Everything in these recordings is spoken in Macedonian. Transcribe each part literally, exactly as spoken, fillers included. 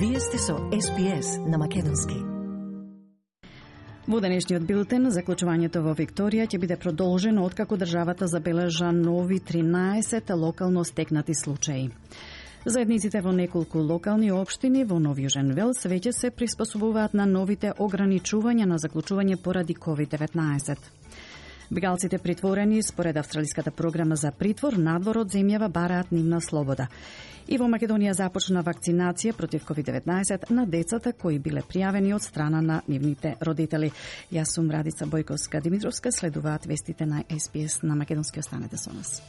Вие сте со Ес Би Ес на македонски. Во денешниот билтен, заклучувањето во Викторија ќе биде продолжено откако државата забележа нови тринаесет локално стекнати случаи. Заедниците во неколку локални општини во Нов Јужен Велс веќе се приспособуваат на новите ограничувања на заклучување поради ковид деветнаесет. Бегалците притворени според австралиската програма за притвор надвор од земјава бараат нивна слобода. И во Македонија започна вакцинација против ковид деветнаесет на децата кои биле пријавени од страна на нивните родители. Јас сум Радица Бојковска-Димитровска, следуваат вестите на Ес Би Ес на македонски, останете со нас.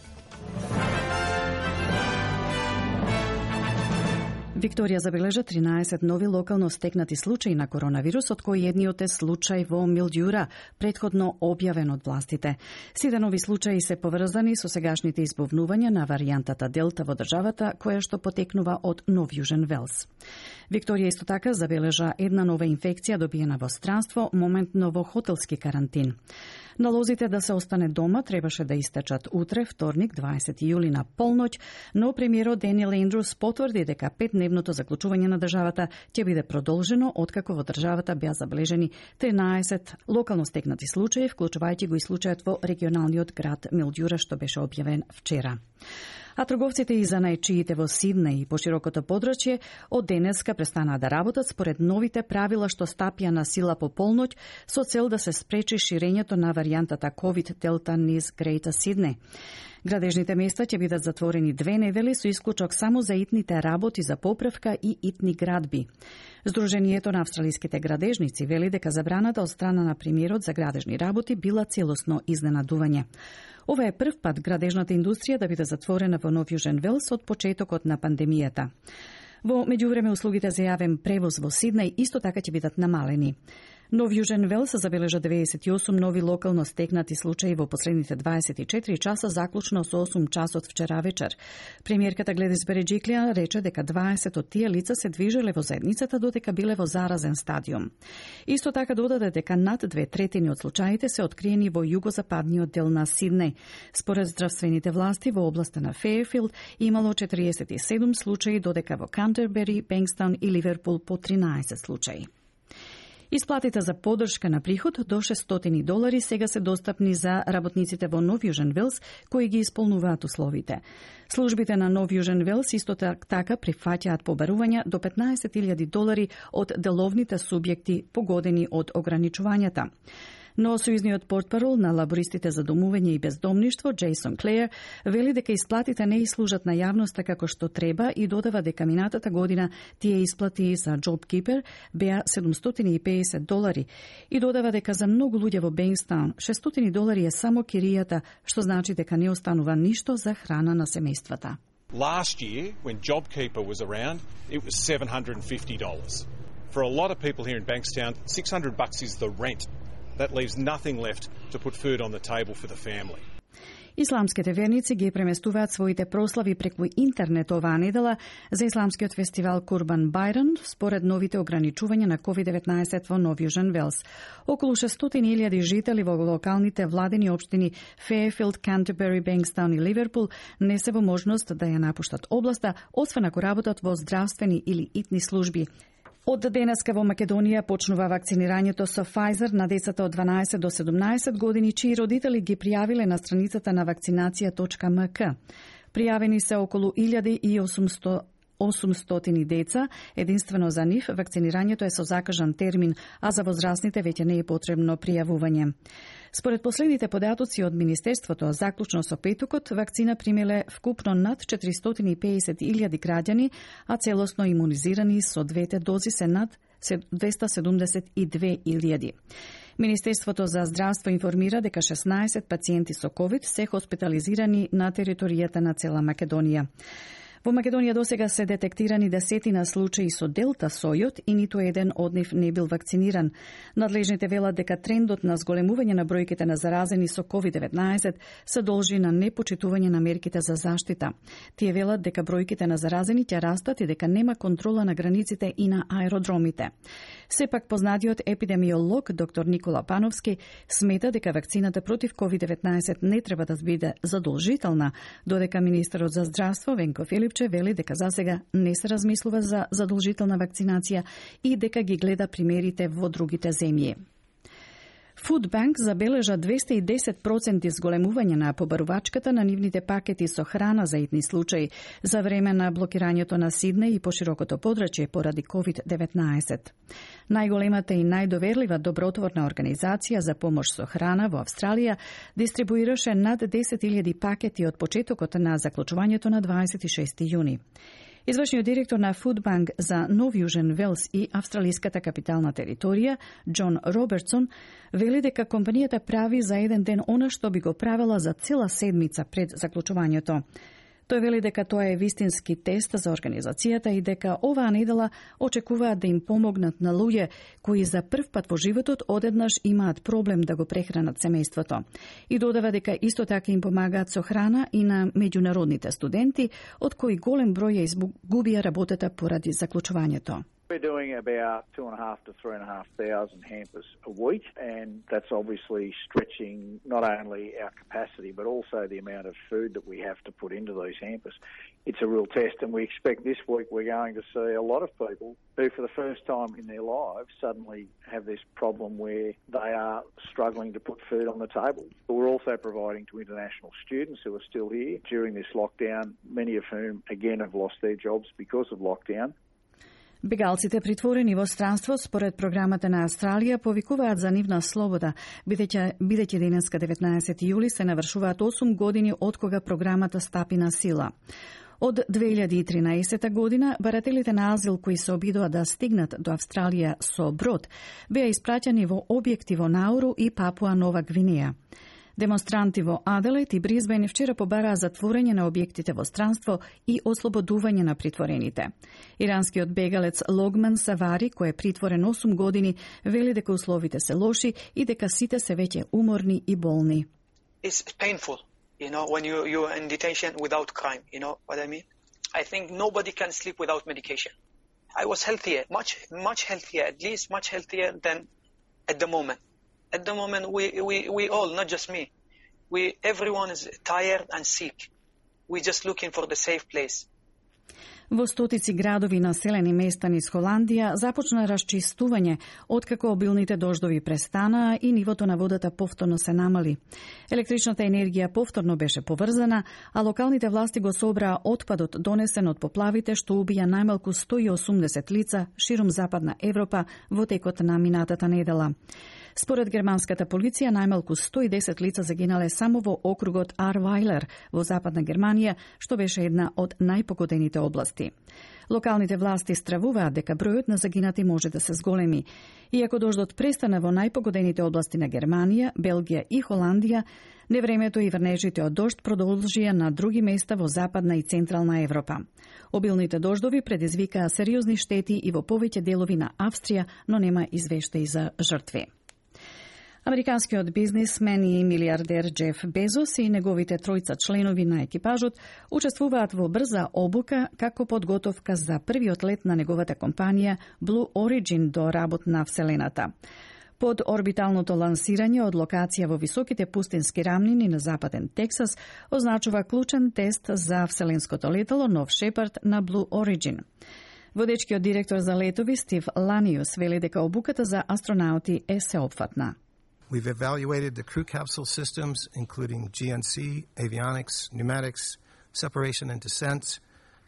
Викторија забележа тринаесет нови локално стекнати случаи на коронавирус, од кои едниот е случај во Милдјура, претходно објавен од властите. Сите нови случаи се поврзани со сегашните избовнувања на варијантата Делта во државата, која што потекнува од Нов Јужен Велс. Викторија исто така забележа една нова инфекција добиена во странство, моментно во хотелски карантин. Налозите да се остане дома требаше да истечат утре, вторник, дваесети јули на полноќ, но премиерот Даниел Ендрус потврди дека петдневното заклучување на државата ќе биде продолжено откако во државата беа забележени тринаесет локално стекнати случаи, вклучувајќи го и случајот во регионалниот град Милдјура што беше објавен вчера. А трговците и занаечиите во Сиднеј и поширокото подрачје од денеска престанаа да работат според новите правила што стапија на сила по полноќ со цел да се спречи ширењето на варијантата ковид Делта низ Грејта Сиднеј. Градежните места ќе бидат затворени две недели со исклучок само за итните работи за поправка и итни градби. Сдруженијето на австралиските градежници вели дека забраната од страна на премиерот за градежни работи била целосно изненадување. Ова е прв пат градежната индустрија да биде затворена во Нов Јужен Велс од почетокот на пандемијата. Во меѓувреме услугите за јавен превоз во Сиднеј исто така ќе бидат намалени. Нов Јужен Велс забележа деветдесет и осум нови локално стекнати случаи во последните дваесет и четири часа, заклучно со осум часот вчера вечер. Премиерката Гледис Береџиклија рече дека дваесет од тие лица се движеле во заедницата додека биле во заразен стадиум. Исто така додаде дека над две третини од случаите се откриени во југозападниот дел на Сиднеј. Според здравствените власти во областа на Фејерфилд имало четириесет и седум случаи, додека во Кантербери, Бенкстаун и Ливерпул по тринаесет случаи. Исплатите за поддршка на приход до шестстотини долари сега се достапни за работниците во Нов Јужен Велс кои ги исполнуваат условите. Службите на Нов Јужен Велс исто така прифаќаат побарувања до петнаесет илјади долари од деловните субјекти погодени од ограничувањата. Но сојузниот портпарол на лабористите за домување и бездомништво, Джейсон Клеер, вели дека исплатите не служат на јавноста како што треба и додава дека минатата година тие исплати за JobKeeper беа седумстотини и педесет долари и додава дека за многу луѓе во Бенкстаун шестстотини долари е само киријата, што значи дека не останува ништо за храна на семејствата. Last year, when JobKeeper was around, it was seven hundred fifty dollars. For a lot of people here in Bankstown, six hundred bucks is the rent. That leaves nothing left to put food on the table for the family. Исламските верници ги преместуваат своите прослави преку интернет оваа недела за исламскиот фестивал Курбан Байран според новите ограничувања на ковид деветнаесет во Нов Јужен Велс. Околу шестстотини илјади жители во локалните владени општини Фејерфилд, Кантербери, Бенкстаун и Ливерпул не се во можност да ја напуштат областа, освен ако работат во здравствени или итни служби. Од денеска во Македонија почнува вакцинирањето со Pfizer на децата од дванаесет до седумнаесет години, чии родители ги пријавиле на страницата на вакцинација точка ем ка. Пријавени се околу илјада и осумстотини деца, единствено за нив вакцинирањето е со закажан термин, а за возрастните веќе не е потребно пријавување. Според последните податоци од Министерството, заклучно со петокот, вакцина примеле вкупно над четиристотини и педесет илјади граѓани, а целосно имунизирани со двете дози се над двеста седумдесет и две илјади. Министерството за здравство информира дека шеснаесет пациенти со ковид се хоспитализирани на територијата на цела Македонија. Во Македонија досега се детектирани десетина случаи со Делта сојот и ниту еден од нив не бил вакциниран. Надлежните велат дека трендот на зголемување на бројките на заразени со ковид деветнаесет се должи на непочитување на мерките за заштита. Тие велат дека бројките на заразени ќе растат и дека нема контрола на границите и на аеродромите. Сепак познатиот епидемиолог доктор Никола Пановски смета дека вакцината против ковид деветнаесет не треба да биде задолжителна, додека министерот за здравство Венко Филипчев Препче вели дека засега не се размислува за задолжителна вакцинација и дека ги гледа примерите во другите земји. Food Bank забележа двесте и десет проценти зголемување на побарувачката на нивните пакети со храна за итни случаи за време на блокирањето на Сиднеј и поширокото подрачје поради ковид деветнаесет. Најголемата и најдоверлива добротворна организација за помош со храна во Австралија дистрибуираше над десет илјади пакети од почетокот на заклучувањето на дваесет и шести јуни. Извршниот директор на Food Bank за Нов Јужен Велс и австралиската капитална територија, Џон Робертсон, вели дека компанијата прави за еден ден она што би го правела за цела седмица пред заклучувањето. Тој вели дека тоа е вистински тест за организацијата и дека оваа недела очекуваат да им помогнат на луѓе кои за прв пат во животот одеднаш имаат проблем да го прехранат семејството. И додава дека исто така им помагаат со храна и на меѓународните студенти, од кои голем број ја изгубија работата поради заклучувањето. We're doing about two and a half to three and a half thousand hampers a week, and that's obviously stretching not only our capacity but also the amount of food that we have to put into these hampers. It's a real test, and we expect this week we're going to see a lot of people who, for the first time in their lives, suddenly have this problem where they are struggling to put food on the table. But we're also providing to international students who are still here during this lockdown, many of whom, again, have lost their jobs because of lockdown. Бегалците притворени во странство според програмата на Австралија повикуваат за нивна слобода, бидејќи бидејќи денеска деветнаесети јули се навршуваат осум години од кога програмата стапи на сила. Од две илјади и тринаесета година, барателите на азил кои се обидоа да стигнат до Австралија со брод, беа испраќани во објекти во Науру и Папуа Нова Гвинеја. Демонстранти во Аделаид и Бризбен вчера побараа затворање на објектите во странство и ослободување на притворените. Иранскиот бегалец Логман Савари, кој е притворен осум години, вели дека условите се лоши и дека сите се веќе уморни и болни. It's painful, you know, when you you're in detention without crime, you know what I mean? I think nobody can sleep without medication. I was healthier, much much healthier, at least much healthier than at the moment. At the moment, we, we, we all, not just me, we, everyone is tired and sick. We're just looking for the safe place. Во стотици градови населени места низ Холандија започна расчистување откако обилните дождови престанаа и нивото на водата повторно се намали. Електричната енергија повторно беше поврзана, а локалните власти го собраа отпадот донесен од поплавите што убија најмалку сто и осумдесет лица широм Западна Европа во текот на минатата недела. Според германската полиција, најмалку сто и десет лица загинале само во округот Арвајлер во Западна Германија, што беше една од најпогодените области. Локалните власти стравуваат дека бројот на загинати може да се зголеми. Иако дождот престана во најпогодените области на Германија, Белгија и Холандија, невремето и врнежите од дожд продолжија на други места во Западна и Централна Европа. Обилните дождови предизвикаа сериозни штети и во повеќе делови на Австрија, но нема извештаи за жртви. Американскиот бизнисмен и милиардер Џеф Безос и неговите тројца членови на екипажот учествуваат во брза обука како подготовка за првиот лет на неговата компанија Blue Origin до работ на Вселената. Под орбиталното лансирање од локација во високите пустински рамнини на западен Тексас означува клучен тест за вселенското летало Нов Шепард на Blue Origin. Водечкиот директор за летови Стив Ланиус вели дека обуката за астронаути е сеопфатна. We've evaluated the crew capsule systems, including G N C, avionics, pneumatics, separation and descent,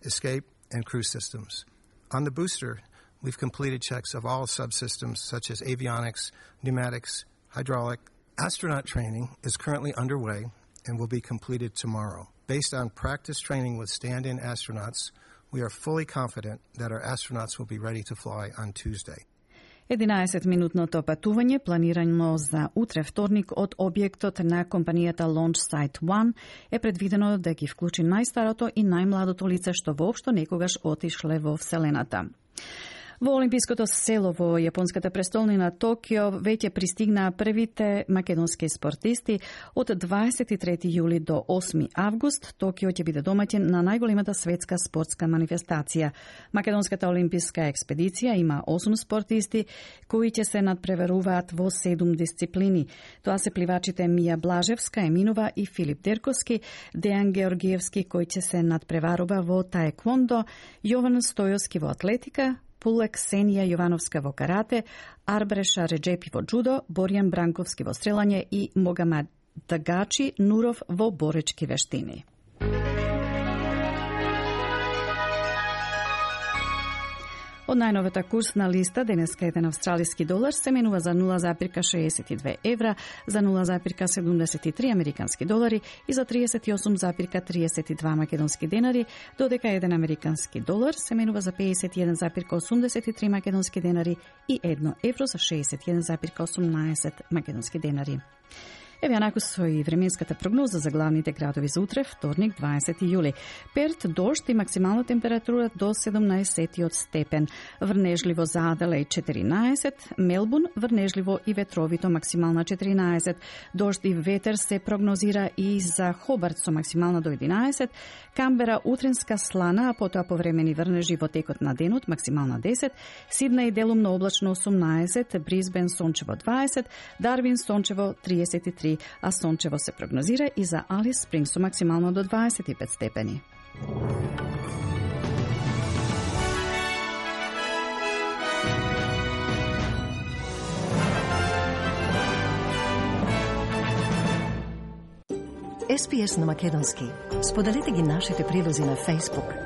escape, and crew systems. On the booster, we've completed checks of all subsystems such as avionics, pneumatics, hydraulic. Astronaut training is currently underway and will be completed tomorrow. Based on practice training with stand-in astronauts, we are fully confident that our astronauts will be ready to fly on Tuesday. единаесетминутното патување планирано за утре вторник од објектот на компанијата Launch Site еден е предвидено да ги вклучи најстарото и најмладото лице што воопшто некогаш отишле во Вселената. Во Олимпиското село во јапонската престолнина Токио веќе пристигнаа првите македонски спортисти. Од дваесет и трети јули до осми август Токио ќе биде домаќин на најголемата светска спортска манифестација. Македонската олимписка експедиција има осум спортисти кои ќе се надпреваруваат во седум дисциплини. Тоа се пливачите Мија Блажевска, Еминова и Филип Дерковски, Дејан Георгиевски кој ќе се надпреварува во таеквондо, Јован Стојовски во атлетика, Пуле Ксенија Јовановска во карате, Арбреша Реджепи во джудо, Борјан Бранковски во стрелање и Могамед Дагачи Нуров во боречки вештини. Од најновата курсна листа, денеска еден австралиски долар се менува за нула запирка шеесет и две евра, за нула запирка седумдесет и три американски долари и за триесет и осум запирка триесет и два македонски денари, додека еден американски долар се менува за пеесет и еден запирка осумдесет и три македонски денари и едно евро за шеесет и еден запирка осумнаесет македонски денари. Еве онаку со и временската прогноза за главните градови за утре, вторник, дваесети јули. Перт дожд и максимална температура до седумнаесет степен. Врнежливо за Аделаид четиринаесет, Мелбурн врнежливо и ветровито максимална четиринаесет. Дожд и ветер се прогнозира и за Хобарт со максимална до единаесет, Камбера утренска слана, а потоа повремени врнежи во текот на денот максимална десет, Сиднеј делумно облачно осумнаесет, Брисбен сончево дваесет, Дарвин сончево триесет и три, а сончево се прогнозира и за Алис Спрингс со максимално до дваесет и пет степени. Ес Пи Ес на македонски. Споделете ги нашите прилози на Facebook,